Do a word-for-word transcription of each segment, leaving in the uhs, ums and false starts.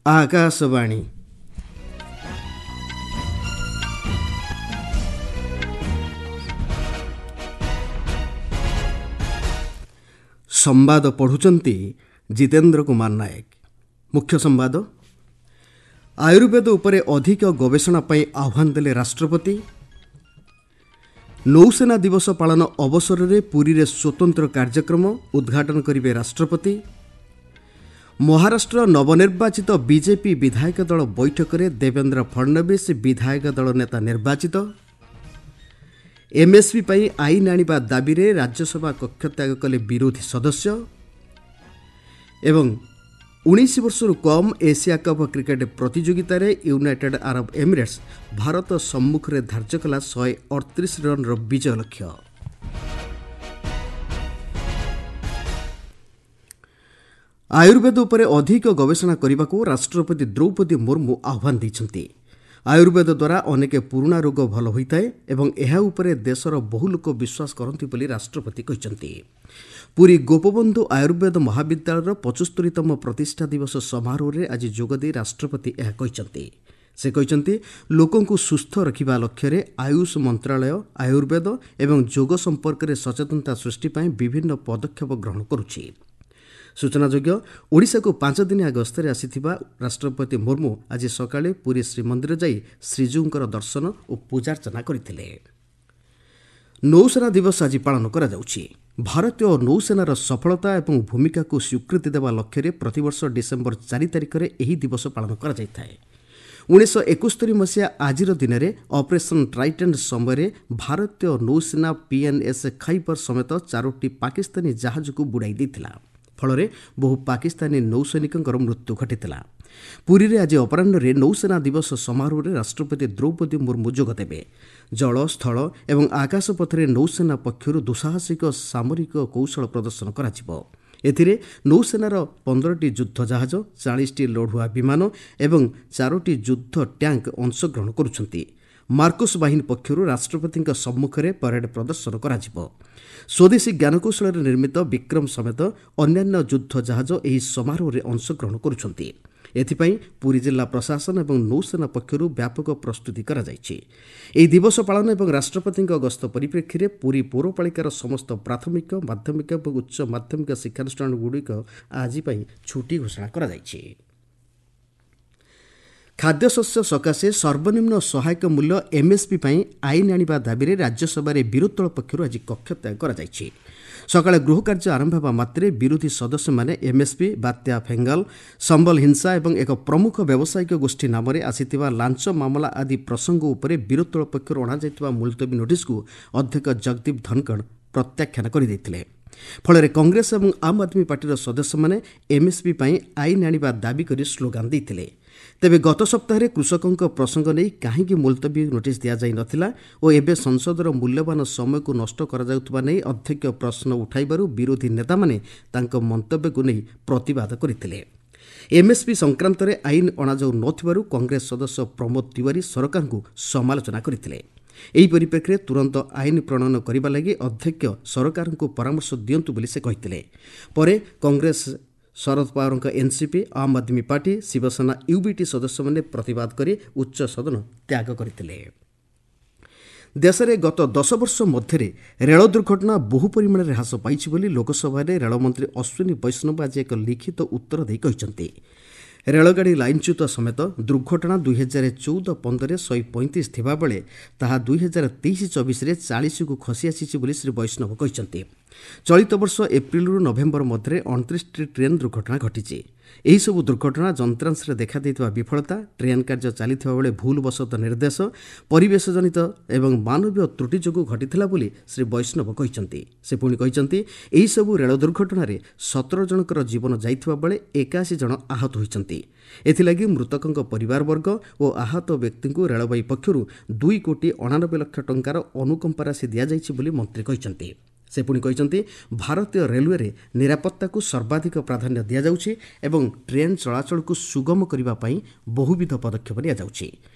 ଆକାଶବାଣୀ। ସମ୍ବାଦ ପଢ଼ୁଛନ୍ତି ଜିତେନ୍ଦ୍ର କୁମାର ନାୟକ। ମୁଖ୍ୟ ସମ୍ବାଦ। ଆୟୁର୍ବେଦ ଉପରେ ଅଧିକ ଗବେଷଣା ପାଇଁ ଆହ୍ୱାନ ଦେଲେ ରାଷ୍ଟ୍ରପତି। ନୌସେନା ଦିବସ ପାଳନ ଅବସରରେ ପୁରୀରେ ସ୍ୱତନ୍ତ୍ର କାର୍ଯ୍ୟକ୍ରମ ଉଦ୍ଘାଟନ କରିବେ ରାଷ୍ଟ୍ରପତି। ମହାରାଷ୍ଟ୍ର ନବନିର୍ବାଚିତ ବିଜେପି ବିଧାୟକ ଦଳ ବୈଠକରେ ଦେବେନ୍ଦ୍ର ଫଡ଼ନବିସ୍ ବିଧାୟକ ଦଳ ନେତା ନିର୍ବାଚିତ। ଏମ୍ଏସ୍ପି ପାଇଁ ଆଇନ ଆଣିବା ଦାବିରେ ରାଜ୍ୟସଭା କକ୍ଷତ୍ୟାଗ କଲେ ବିରୋଧୀ ସଦସ୍ୟ। ଏବଂ ଉଣେଇଶ ବର୍ଷରୁ କମ୍ ଏସିଆ କପ୍ କ୍ରିକେଟ୍ ପ୍ରତିଯୋଗିତାରେ ୟୁନାଇଟେଡ୍ ଆରବ ଏମିରେଟ୍ସ ଭାରତ ସମ୍ମୁଖରେ ଧାର୍ଯ୍ୟ କଲା ଶହେ ଅଠତିରିଶ ରନ୍ର ବିଜୟ ଲକ୍ଷ୍ୟ। ଆୟୁର୍ବେଦ ଉପରେ ଅଧିକ ଗବେଷଣା କରିବାକୁ ରାଷ୍ଟ୍ରପତି ଦ୍ରୌପଦୀ ମୁର୍ମୁ ଆହ୍ୱାନ ଦେଇଛନ୍ତି। ଆୟୁର୍ବେଦ ଦ୍ୱାରା ଅନେକ ପୁରୁଣା ରୋଗ ଭଲ ହୋଇଥାଏ ଏବଂ ଏହା ଉପରେ ଦେଶର ବହୁ ଲୋକ ବିଶ୍ୱାସ କରନ୍ତି ବୋଲି ରାଷ୍ଟ୍ରପତି କହିଛନ୍ତି। ପୁରୀ ଗୋପବନ୍ଧୁ ଆୟୁର୍ବେଦ ମହାବିଦ୍ୟାଳୟର ପଞ୍ଚସ୍ତରୀତମ ପ୍ରତିଷ୍ଠା ଦିବସ ସମାରୋହରେ ଆଜି ଯୋଗଦେଇ ରାଷ୍ଟ୍ରପତି ଏହା କହିଛନ୍ତି। ସେ କହିଛନ୍ତି, ଲୋକଙ୍କୁ ସୁସ୍ଥ ରଖିବା ଲକ୍ଷ୍ୟରେ ଆୟୁଷ ମନ୍ତ୍ରାଳୟ ଆୟୁର୍ବେଦ ଏବଂ ଯୋଗ ସମ୍ପର୍କରେ ସଚେତନତା ସୃଷ୍ଟି ପାଇଁ ବିଭିନ୍ନ ପଦକ୍ଷେପ ଗ୍ରହଣ କରୁଛି। ସୂଚନାଯୋଗ୍ୟ, ଓଡ଼ିଶାକୁ ପାଞ୍ଚ ଦିନିଆ ଗସ୍ତରେ ଆସିଥିବା ରାଷ୍ଟ୍ରପତି ମୁର୍ମୁ ଆଜି ସକାଳେ ପୁରୀ ଶ୍ରୀମନ୍ଦିର ଯାଇ ଶ୍ରୀଜୀଉଙ୍କର ଦର୍ଶନ ଓ ପୂଜାର୍ଚ୍ଚନା କରିଥିଲେ। ନୌସେନା ଦିବସ ଆଜି ପାଳନ କରାଯାଉଛି। ଭାରତୀୟ ନୌସେନାର ସଫଳତା ଏବଂ ଭୂମିକାକୁ ସ୍ୱୀକୃତି ଦେବା ଲକ୍ଷ୍ୟରେ ପ୍ରତିବର୍ଷ ଡିସେମ୍ବର ଚାରି ତାରିଖରେ ଏହି ଦିବସ ପାଳନ କରାଯାଇଥାଏ। ଉଣେଇଶହ ଏକସ୍ତରୀ ମସିହା ଆଜିର ଦିନରେ ଅପରେସନ୍ ଟ୍ରାଇଡେଣ୍ଟ ସମୟରେ ଭାରତୀୟ ନୌସେନା ପିଏନ୍ଏସ୍ ଖାଇବର ସମେତ ଚାରୋଟି ପାକିସ୍ତାନୀ ଜାହାଜକୁ ବୁଡ଼ାଇ ଦେଇଥିଲା। ଫଳରେ ବହୁ ପାକିସ୍ତାନୀ ନୌସୈନିକଙ୍କର ମୃତ୍ୟୁ ଘଟିଥିଲା। ପୁରୀରେ ଆଜି ଅପରାହ୍ନରେ ନୌସେନା ଦିବସ ସମାରୋହରେ ରାଷ୍ଟ୍ରପତି ଦ୍ରୌପଦୀ ମୁର୍ମୁ ଯୋଗଦେବେ। ଜଳ, ସ୍ଥଳ ଏବଂ ଆକାଶପଥରେ ନୌସେନା ପକ୍ଷରୁ ଦୁଃସାହସିକ ସାମରିକ କୌଶଳ ପ୍ରଦର୍ଶନ କରାଯିବ। ଏଥିରେ ନୌସେନାର ପନ୍ଦରଟି ଯୁଦ୍ଧ ଜାହାଜ, ଚାଳିଶଟି ଲଢୁଆ ବିମାନ ଏବଂ ଚାରୋଟି ଯୁଦ୍ଧ ଟ୍ୟାଙ୍କ ଅଂଶଗ୍ରହଣ କରୁଛନ୍ତି। ମାର୍କୋସ୍ ବାହିନୀ ପକ୍ଷରୁ ରାଷ୍ଟ୍ରପତିଙ୍କ ସମ୍ମୁଖରେ ପରେଡ୍ ପ୍ରଦର୍ଶନ କରାଯିବ। ସ୍ୱଦେଶୀ ଜ୍ଞାନକୌଶଳରେ ନିର୍ମିତ ବିକ୍ରମ ସମେତ ଅନ୍ୟାନ୍ୟ ଯୁଦ୍ଧ ଜାହାଜ ଏହି ସମାରୋହରେ ଅଂଶଗ୍ରହଣ କରୁଛନ୍ତି। ଏଥିପାଇଁ ପୁରୀ ଜିଲ୍ଲା ପ୍ରଶାସନ ଏବଂ ନୌସେନା ପକ୍ଷରୁ ବ୍ୟାପକ ପ୍ରସ୍ତୁତି କରାଯାଇଛି। ଏହି ଦିବସ ପାଳନ ଏବଂ ରାଷ୍ଟ୍ରପତିଙ୍କ ଗସ୍ତ ପରିପ୍ରେକ୍ଷୀରେ ପୁରୀ ପୌରପାଳିକାର ସମସ୍ତ ପ୍ରାଥମିକ, ମାଧ୍ୟମିକ ଏବଂ ଉଚ୍ଚ ମାଧ୍ୟମିକ ଶିକ୍ଷାନୁଷ୍ଠାନଗୁଡ଼ିକ ଆଜି ପାଇଁ ଛୁଟି ଘୋଷଣା କରାଯାଇଛି। ଖାଦ୍ୟଶସ୍ୟ ସକାଶେ ସର୍ବନିମ୍ନ ସହାୟକ ମୂଲ୍ୟ ଏମ୍ଏସ୍ପି ପାଇଁ ଆଇନ ଆଣିବା ଦାବିରେ ରାଜ୍ୟସଭାରେ ବିରୋଧୀ ଦଳ ପକ୍ଷରୁ ଆଜି କକ୍ଷତ୍ୟାଗ କରାଯାଇଛି। ସକାଳେ ଗୃହ କାର୍ଯ୍ୟ ଆରମ୍ଭ ହେବା ମାତ୍ରେ ବିରୋଧୀ ସଦସ୍ୟମାନେ ଏମ୍ଏସ୍ପି, ବାତ୍ୟା ଫେଙ୍ଗାଲ, ସମ୍ବଲ ହିଂସା ଏବଂ ଏକ ପ୍ରମୁଖ ବ୍ୟବସାୟିକ ଗୋଷ୍ଠୀ ନାମରେ ଆସିଥିବା ଲାଞ୍ଚ ମାମଲା ଆଦି ପ୍ରସଙ୍ଗ ଉପରେ ବିରୋଧୀ ଦଳ ପକ୍ଷରୁ ଅଣାଯାଇଥିବା ମୁଲତବୀ ନୋଟିସ୍କୁ ଅଧ୍ୟକ୍ଷ ଜଗଦୀପ ଧନଖଡ଼ ପ୍ରତ୍ୟାଖ୍ୟାନ କରିଦେଇଥିଲେ। ଫଳରେ କଂଗ୍ରେସ ଏବଂ ଆମ୍ ଆଦମୀ ପାର୍ଟିର ସଦସ୍ୟମାନେ ଏମ୍ଏସ୍ପି ପାଇଁ ଆଇନ ଆଣିବା ଦାବି କରି ସ୍ଲୋଗାନ ଦେଇଥିଲେ। ତେବେ ଗତ ସପ୍ତାହରେ କୃଷକଙ୍କ ପ୍ରସଙ୍ଗ ନେଇ କାହିଁକି ମୁଲତବୀ ନୋଟିସ୍ ଦିଆଯାଇ ନଥିଲା ଓ ଏବେ ସଂସଦର ମୂଲ୍ୟବାନ ସମୟକୁ ନଷ୍ଟ କରାଯାଉଥିବା ନେଇ ଅଧ୍ୟକ୍ଷ ପ୍ରଶ୍ନ ଉଠାଇବାରୁ ବିରୋଧୀ ନେତାମାନେ ତାଙ୍କ ମନ୍ତବ୍ୟକୁ ନେଇ ପ୍ରତିବାଦ କରିଥିଲେ। ଏମ୍ଏସ୍ପି ସଂକ୍ରାନ୍ତରେ ଆଇନ ଅଣାଯାଉ ନଥିବାରୁ କଂଗ୍ରେସ ସଦସ୍ୟ ପ୍ରମୋଦ ତିୱାରୀ ସରକାରଙ୍କୁ ସମାଲୋଚନା କରିଥିଲେ। ଏହି ପରିପ୍ରେକ୍ଷୀରେ ତୁରନ୍ତ ଆଇନ ପ୍ରଣୟନ କରିବା ଲାଗି ଅଧ୍ୟକ୍ଷ ସରକାରଙ୍କୁ ପରାମର୍ଶ ଦିଅନ୍ତୁ ବୋଲି ସେ କହିଥିଲେ। ପରେ କଂଗ୍ରେସ, ଶରଦ ପାୱାରଙ୍କ NCP, Aam Aadmi party, Shiv Sena UBT ସଦସ୍ୟମାନେ ପ୍ରତିବାଦ କରି ଉଚ୍ଚ ସଦନ ତ୍ୟାଗ କରିଥିଲେ। ଦେଶରେ ଗତ ଦଶ ବର୍ଷ ମଧ୍ୟରେ ରେଳ ଦୁର୍ଘଟଣା ବହୁ ପରିମାଣରେ ହ୍ରାସ ପାଇଛି ବୋଲି ଲୋକସଭାରେ ରେଳମନ୍ତ୍ରୀ ଅଶ୍ୱିନୀ ବୈଷ୍ଣବ ଆଜି ଏକ ଲିଖିତ ଉତ୍ତର ଦେଇ କହିଛନ୍ତି। ରେଳଗାଡ଼ି ଲାଇନ୍ଚ୍ୟୁତ ସମେତ ଦୁର୍ଘଟଣା ଦୁଇ ହଜାର ଚଉଦ ପନ୍ଦରରେ ଶହେ ପଇଁତିରିଶ ଥିବାବେଳେ ତାହା ଦୁଇ ହଜାର ତେଇଶ ଚବିଶରେ ଚାଳିଶକୁ ଖସି ଆସିଛି ବୋଲି ଶ୍ରୀ ବୈଷ୍ଣବ କହିଛନ୍ତି। ଚଳିତ ବର୍ଷ ଏପ୍ରିଲରୁ ନଭେମ୍ବର ମଧ୍ୟରେ ଅଣତିରିଶଟି ଟ୍ରେନ୍ ଦୁର୍ଘଟଣା ଘଟିଛି। ଏହିସବୁ ଦୁର୍ଘଟଣା ଯନ୍ତ୍ରାଂଶରେ ଦେଖାଦେଇଥିବା ବିଫଳତା, ଟ୍ରେନ୍ କାର୍ଯ୍ୟ ଚାଲିଥିବା ବେଳେ ଭୁଲବଶତଃ ନିର୍ଦ୍ଦେଶ, ପରିବେଶଜନିତ ଏବଂ ମାନବୀୟ ତ୍ରୁଟି ଯୋଗୁଁ ଘଟିଥିଲା ବୋଲି ଶ୍ରୀ ବୈଷ୍ଣବ କହିଛନ୍ତି। ସେ ପୁଣି କହିଛନ୍ତି, ଏହିସବୁ ରେଳ ଦୁର୍ଘଟଣାରେ ସତର ଜଣଙ୍କର ଜୀବନ ଯାଇଥିବା ବେଳେ ଏକାଅଶୀ ଜଣ ଆହତ ହୋଇଛନ୍ତି। ଏଥିଲାଗି ମୃତକଙ୍କ ପରିବାରବର୍ଗ ଓ ଆହତ ବ୍ୟକ୍ତିଙ୍କୁ ରେଳବାଇ ପକ୍ଷରୁ ଦୁଇ କୋଟି ଅଣାନବେ ଲକ୍ଷ ଟଙ୍କାର ଅନୁକମ୍ପା ରାଶି ଦିଆଯାଇଛି ବୋଲି ମନ୍ତ୍ରୀ କହିଛନ୍ତି। ସେ ପୁଣି କହିଛନ୍ତି, ଭାରତୀୟ ରେଲୱେରେ ନିରାପତ୍ତାକୁ ସର୍ବାଧିକ ପ୍ରାଧାନ୍ୟ ଦିଆଯାଉଛି ଏବଂ ଟ୍ରେନ୍ ଚଳାଚଳକୁ ସୁଗମ କରିବା ପାଇଁ ବହୁବିଧ ପଦକ୍ଷେପ ନିଆଯାଉଛି।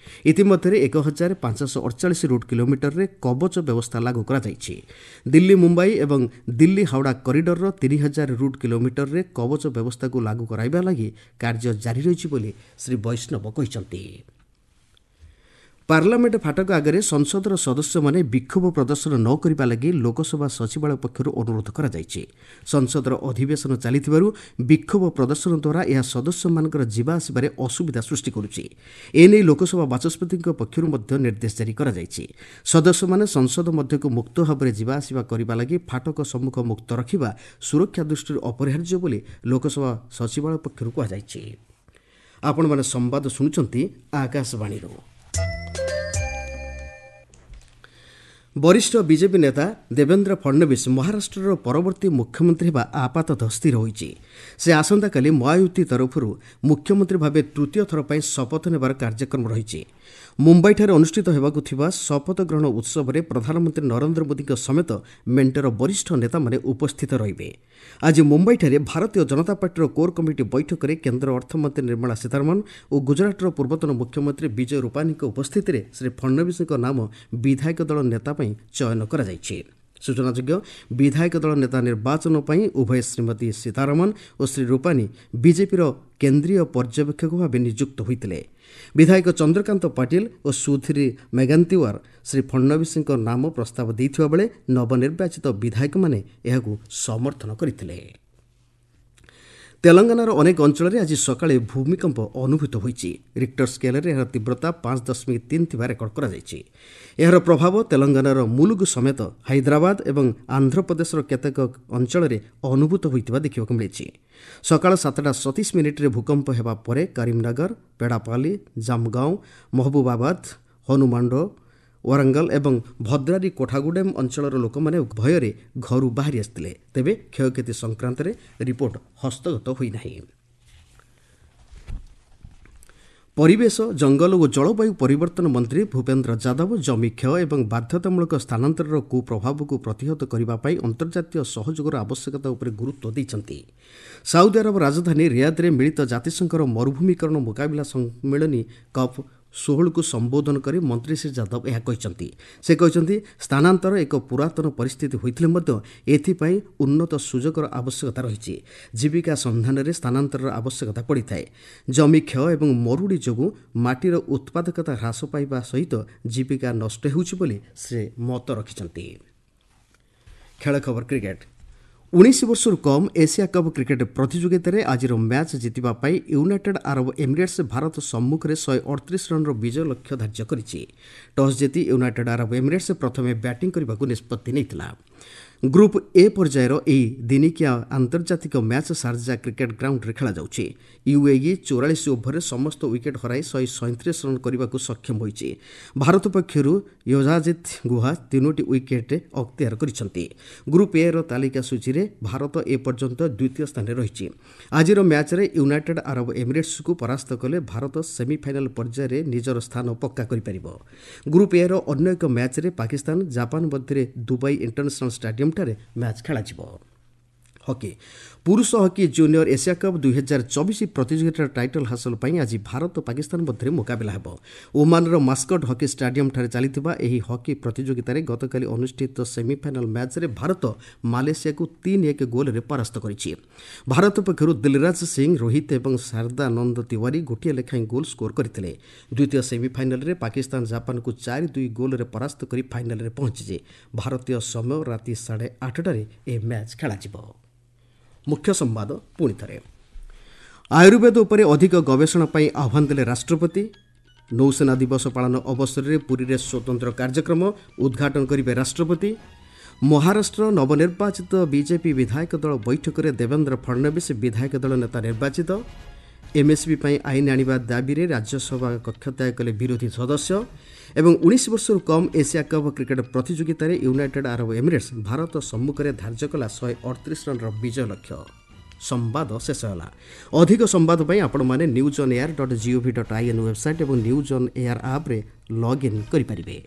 ଇତିମଧ୍ୟରେ ଏକ ହଜାର ପାଞ୍ଚଶହ ଅଡ଼ଚାଳିଶ ରୁଟ୍ କିଲୋମିଟରରେ କବଚ ବ୍ୟବସ୍ଥା ଲାଗୁ କରାଯାଇଛି। ଦିଲ୍ଲୀ ମୁମ୍ବାଇ ଏବଂ ଦିଲ୍ଲୀ ହାଓଡ଼ା କରିଡରର ତିନି ହଜାର ରୁଟ୍ କିଲୋମିଟରରେ କବଚ ବ୍ୟବସ୍ଥାକୁ ଲାଗୁ କରାଇବା ଲାଗି କାର୍ଯ୍ୟ ଜାରି ରହିଛି ବୋଲି ଶ୍ରୀ ବୈଷ୍ଣବ କହିଛନ୍ତି। ପାର୍ଲାମେଣ୍ଟ ଫାଟକ ଆଗରେ ସଂସଦର ସଦସ୍ୟମାନେ ବିକ୍ଷୋଭ ପ୍ରଦର୍ଶନ ନ କରିବା ଲାଗି ଲୋକସଭା ସଚିବାଳୟ ପକ୍ଷରୁ ଅନୁରୋଧ କରାଯାଇଛି। ସଂସଦର ଅଧିବେଶନ ଚାଲିଥିବାରୁ ବିକ୍ଷୋଭ ପ୍ରଦର୍ଶନ ଦ୍ୱାରା ଏହା ସଦସ୍ୟମାନଙ୍କର ଯିବା ଆସିବାରେ ଅସୁବିଧା ସୃଷ୍ଟି କରୁଛି। ଏନେଇ ଲୋକସଭା ବାଚସ୍ପତିଙ୍କ ପକ୍ଷରୁ ମଧ୍ୟ ନିର୍ଦ୍ଦେଶ ଜାରି କରାଯାଇଛି। ସଦସ୍ୟମାନେ ସଂସଦ ମଧ୍ୟକୁ ମୁକ୍ତ ଭାବରେ ଯିବା ଆସିବା କରିବା ଲାଗି ଫାଟକ ସମ୍ମୁଖ ମୁକ୍ତ ରଖିବା ସୁରକ୍ଷା ଦୃଷ୍ଟିରୁ ଅପରିହାର୍ଯ୍ୟ ବୋଲି ଲୋକସଭା ସଚିବାଳୟ ପକ୍ଷରୁ କୁହାଯାଇଛି। ଆପଣମାନେ ସମ୍ବାଦ ଶୁଣୁଛନ୍ତି ଆକାଶବାଣୀରୁ। ବରିଷ୍ଠ ବିଜେପି ନେତା ଦେବେନ୍ଦ୍ର ଫଡ୍ନବୀସ ମହାରାଷ୍ଟ୍ରର ପରବର୍ତ୍ତୀ ମୁଖ୍ୟମନ୍ତ୍ରୀ ହେବା ଆପାତତଃ ସ୍ଥିର ହୋଇଛି। ସେ ଆସନ୍ତାକାଲି ମହାୟୁତି ତରଫରୁ ମୁଖ୍ୟମନ୍ତ୍ରୀ ଭାବେ ତୃତୀୟ ଥର ପାଇଁ ଶପଥ ନେବାର କାର୍ଯ୍ୟକ୍ରମ ରହିଛି। ମୁମ୍ବାଇଠାରେ ଅନୁଷ୍ଠିତ ହେବାକୁ ଥିବା ଶପଥ ଗ୍ରହଣ ଉତ୍ସବରେ ପ୍ରଧାନମନ୍ତ୍ରୀ ନରେନ୍ଦ୍ର ମୋଦିଙ୍କ ସମେତ ମେଣ୍ଟର ବରିଷ୍ଠ ନେତାମାନେ ଉପସ୍ଥିତ ରହିବେ। ଆଜି ମୁମ୍ବାଇଠାରେ ଭାରତୀୟ ଜନତା ପାର୍ଟିର କୋର୍ କମିଟି ବୈଠକରେ କେନ୍ଦ୍ର ଅର୍ଥମନ୍ତ୍ରୀ ନିର୍ମଳା ସୀତାରମଣ ଓ ଗୁଜରାଟର ପୂର୍ବତନ ମୁଖ୍ୟମନ୍ତ୍ରୀ ବିଜୟ ରୂପାନୀଙ୍କ ଉପସ୍ଥିତିରେ ଶ୍ରୀ ଫଡ୍ନବୀସଙ୍କ ନାମ ବିଧାୟକ ଦଳ ନେତା ପାଇଁ ଚୟନ କରାଯାଇଛି। ସୂଚନାଯୋଗ୍ୟ, ବିଧାୟକ ଦଳ ନେତା ନିର୍ବାଚନ ପାଇଁ ଉଭୟ ଶ୍ରୀମତୀ ସୀତାରମଣ ଓ ଶ୍ରୀ ରୂପାନୀ ବିଜେପିର କେନ୍ଦ୍ରୀୟ ପର୍ଯ୍ୟବେକ୍ଷକ ଭାବେ ନିଯୁକ୍ତ ହୋଇଥିଲେ। ବିଧାୟକ ଚନ୍ଦ୍ରକାନ୍ତ ପାଟିଲ ଓ ସୁଧୀର ମେଗାନ୍ତିୱାର ଶ୍ରୀ ଫଡ୍ନବୀସଙ୍କ ନାମ ପ୍ରସ୍ତାବ ଦେଇଥିବା ବେଳେ ନବନିର୍ବାଚିତ ବିଧାୟକମାନେ ଏହାକୁ ସମର୍ଥନ କରିଥିଲେ। ତେଲଙ୍ଗାନାର ଅନେକ ଅଞ୍ଚଳରେ ଆଜି ସକାଳେ ଭୂମିକମ୍ପ ଅନୁଭୂତ ହୋଇଛି। ରିକ୍ଟର ସ୍କେଲ୍ରେ ଏହାର ତୀବ୍ରତା ପାଞ୍ଚ ଦଶମିକ ତିନି ଥିବା ରେକର୍ଡ କରାଯାଇଛି। ଏହାର ପ୍ରଭାବ ତେଲଙ୍ଗାନାର ମୁଲୁଗୁ ସମେତ ହାଇଦ୍ରାବାଦ ଏବଂ ଆନ୍ଧ୍ରପ୍ରଦେଶର କେତେକ ଅଞ୍ଚଳରେ ଅନୁଭୂତ ହୋଇଥିବା ଦେଖିବାକୁ ମିଳିଛି। ସକାଳ ସାତଟା ସତେଇଶ ମିନିଟ୍ରେ ଭୂକମ୍ପ ହେବା ପରେ କରିମନଗର, ପେଡ଼ାପାଲି, ଜାମଗାଁଓ, ମହବୁବାବାଦ, ହନୁମାଣ୍ଡ, ୱାରଙ୍ଗଲ ଏବଂ ଭଦ୍ରାରୀ କୋଠାଗୁଡେମ୍ ଅଞ୍ଚଳର ଲୋକମାନେ ଭୟରେ ଘରୁ ବାହାରି ଆସିଥିଲେ। ତେବେ କ୍ଷୟକ୍ଷତି ସଂକ୍ରାନ୍ତରେ ରିପୋର୍ଟ ହସ୍ତଗତ ହୋଇନାହିଁ। ପରିବେଶ, ଜଙ୍ଗଲ ଓ ଜଳବାୟୁ ପରିବର୍ତ୍ତନ ମନ୍ତ୍ରୀ ଭୂପେନ୍ଦ୍ର ଯାଦବ ଜମି କ୍ଷୟ ଏବଂ ବାଧ୍ୟତାମୂଳକ ସ୍ଥାନାନ୍ତରର କୁପ୍ରଭାବକୁ ପ୍ରତିହତ କରିବା ପାଇଁ ଅନ୍ତର୍ଜାତୀୟ ସହଯୋଗର ଆବଶ୍ୟକତା ଉପରେ ଗୁରୁତ୍ୱ ଦେଇଛନ୍ତି। ସାଉଦି ଆରବ ରାଜଧାନୀ ରିୟାଦରେ ମିଳିତ ଜାତିସଂଘର ମରୁଭୂମିକରଣ ମୁକାବିଲା ସମ୍ମିଳନୀ କପ୍ ଷୋହଳକୁ ସମ୍ବୋଧନ କରି ମନ୍ତ୍ରୀ ଶ୍ରୀ ଯାଦବ ଏହା କହିଛନ୍ତି। ସେ କହିଛନ୍ତି, ସ୍ଥାନାନ୍ତର ଏକ ପୁରାତନ ପରିସ୍ଥିତି ହୋଇଥିଲେ ମଧ୍ୟ ଏଥିପାଇଁ ଉନ୍ନତ ସୁଯୋଗର ଆବଶ୍ୟକତା ରହିଛି। ଜୀବିକା ସନ୍ଧାନରେ ସ୍ଥାନାନ୍ତରର ଆବଶ୍ୟକତା ପଡ଼ିଥାଏ। ଜମି କ୍ଷୟ ଏବଂ ମରୁଡ଼ି ଯୋଗୁଁ ମାଟିର ଉତ୍ପାଦକତା ହ୍ରାସ ପାଇବା ସହିତ ଜୀବିକା ନଷ୍ଟ ହେଉଛି ବୋଲି ସେ ମତ ରଖିଛନ୍ତି। ଖେଳ ଖବର କ୍ରିକେଟ୍। ଉଣେଇଶ ବର୍ଷରୁ କମ୍ ଏସିଆ କପ୍ କ୍ରିକେଟ୍ ପ୍ରତିଯୋଗିତାରେ ଆଜିର ମ୍ୟାଚ୍ ଜିତିବା ପାଇଁ ୟୁନାଇଟେଡ୍ ଆରବ ଏମିରେଟ୍ସ ଭାରତ ସମ୍ମୁଖରେ ଶହେ ଅଠତିରିଶ ରନ୍ର ବିଜୟ ଲକ୍ଷ୍ୟ ଧାର୍ଯ୍ୟ କରିଛି। ଟସ୍ ଜିତି ୟୁନାଇଟେଡ୍ ଆରବ ଏମିରେଟ୍ସ ପ୍ରଥମେ ବ୍ୟାଟିଂ କରିବାକୁ ନିଷ୍ପତ୍ତି ନେଇଥିଲା। ଗ୍ରୁପ୍ ଏ ପର୍ଯ୍ୟାୟର ଏହି ଦିନିକିଆ ଆନ୍ତର୍ଜାତିକ ମ୍ୟାଚ୍ ସାର୍ଜା କ୍ରିକେଟ୍ ଗ୍ରାଉଣ୍ଡରେ ଖେଳାଯାଉଛି। ୟୁଏଇ ଚଉରାଳିଶ ଓଭରରେ ସମସ୍ତ ୱିକେଟ୍ ହରାଇ ଶହେ ସଇଁତିରିଶ ରନ୍ କରିବାକୁ ସକ୍ଷମ ହୋଇଛି। ଭାରତ ପକ୍ଷରୁ ୟୋଜାଜିତ୍ ଗୁହା ତିନୋଟି ୱିକେଟ୍ ଅକ୍ତିଆର କରିଛନ୍ତି। ଗ୍ରୁପ୍ ଏର ତାଲିକା ସୂଚୀରେ ଭାରତ ଏପର୍ଯ୍ୟନ୍ତ ଦ୍ୱିତୀୟ ସ୍ଥାନରେ ରହିଛି। ଆଜିର ମ୍ୟାଚ୍ରେ ୟୁନାଇଟେଡ୍ ଆରବ ଏମିରେଟ୍ସକୁ ପରାସ୍ତ କଲେ ଭାରତ ସେମିଫାଇନାଲ ପର୍ଯ୍ୟାୟରେ ନିଜର ସ୍ଥାନ ପକ୍କା କରିପାରିବ। ଗ୍ରୁପ୍ ଏର ଅନ୍ୟ ଏକ ମ୍ୟାଚ୍ରେ ପାକିସ୍ତାନ ଜାପାନ ମଧ୍ୟରେ ଦୁବାଇ ଇଣ୍ଟରନ୍ୟାସନାଲ ଷ୍ଟାଡିୟମଠାରେ ମ୍ୟାଚ୍ ଖେଳାଯିବ। ହକି। ପୁରୁଷ ହକି ଜୁନିୟର ଏସିଆ କପ୍ ଦୁଇହଜାର ଚବିଶ ପ୍ରତିଯୋଗିତାର ଟାଇଟଲ୍ ହାସଲ ପାଇଁ ଆଜି ଭାରତ ପାକିସ୍ତାନ ମଧ୍ୟରେ ମୁକାବିଲା ହେବ। ଓମାନର ମାସ୍କଟ ହକି ଷ୍ଟାଡିୟମଠାରେ ଚାଲିଥିବା ଏହି ହକି ପ୍ରତିଯୋଗିତାରେ ଗତକାଲି ଅନୁଷ୍ଠିତ ସେମିଫାଇନାଲ ମ୍ୟାଚ୍ରେ ଭାରତ ମାଲେସିଆକୁ ତିନି ଏକ ଗୋଲରେ ପରାସ୍ତ କରିଛି। ଭାରତ ପକ୍ଷରୁ ଦିଲରାଜ ସିଂ, ରୋହିତ ଏବଂ ଶାରଦାନନ୍ଦ ତିୱାରୀ ଗୋଟିଏ ଲେଖାଏଁ ଗୋଲ୍ ସ୍କୋର କରିଥିଲେ। ଦ୍ୱିତୀୟ ସେମିଫାଇନାଲରେ ପାକିସ୍ତାନ ଜାପାନକୁ ଚାରି ଦୁଇ ଗୋଲରେ ପରାସ୍ତ କରି ଫାଇନାଲରେ ପହଞ୍ଚିଛି। ଭାରତୀୟ ସମୟ ରାତି ସାଢ଼େ ଆଠଟାରେ ଏହି ମ୍ୟାଚ୍ ଖେଳାଯିବ। ମୁଖ୍ୟ ସମ୍ବାଦ ପୁଣି ଥରେ। ଆୟୁର୍ବେଦ ଉପରେ ଅଧିକ ଗବେଷଣା ପାଇଁ ଆହ୍ୱାନ ଦେଲେ ରାଷ୍ଟ୍ରପତି। ନୌସେନା ଦିବସ ପାଳନ ଅବସରରେ ପୁରୀରେ ସ୍ୱତନ୍ତ୍ର କାର୍ଯ୍ୟକ୍ରମ ଉଦ୍ଘାଟନ କରିବେ ରାଷ୍ଟ୍ରପତି। ମହାରାଷ୍ଟ୍ର ନବନିର୍ବାଚିତ ବିଜେପି ବିଧାୟକ ଦଳ ବୈଠକରେ ଦେବେନ୍ଦ୍ର ଫଡ୍ନବୀସ ବିଧାୟକ ଦଳ ନେତା ନିର୍ବାଚିତ। ଏମ୍ଏସ୍ପି ପାଇଁ ଆଇନ ଆଣିବା ଦାବିରେ ରାଜ୍ୟସଭା କକ୍ଷତ୍ୟାଗ କଲେ ବିରୋଧୀ ସଦସ୍ୟ। ଏବଂ ଉଣେଇଶ ବର୍ଷରୁ କମ୍ ଏସିଆ କପ୍ କ୍ରିକେଟ୍ ପ୍ରତିଯୋଗିତାରେ ୟୁନାଇଟେଡ୍ ଆରବ ଏମିରେଟ୍ସ ଭାରତ ସମ୍ମୁଖରେ ଧାର୍ଯ୍ୟ କଲା ଶହେ ଅଠତିରିଶ ରନ୍ର ବିଜୟ ଲକ୍ଷ୍ୟ। ସମ୍ବାଦ ଶେଷ ହେଲା। ଅଧିକ ସମ୍ବାଦ ପାଇଁ ଆପଣମାନେ news on air dot gov dot I N website ଏବଂ ନ୍ୟୁଜ୍ ଅନ୍ ଏୟାର ଆପ୍ରେ ଲଗ୍ଇନ୍ କରିପାରିବେ।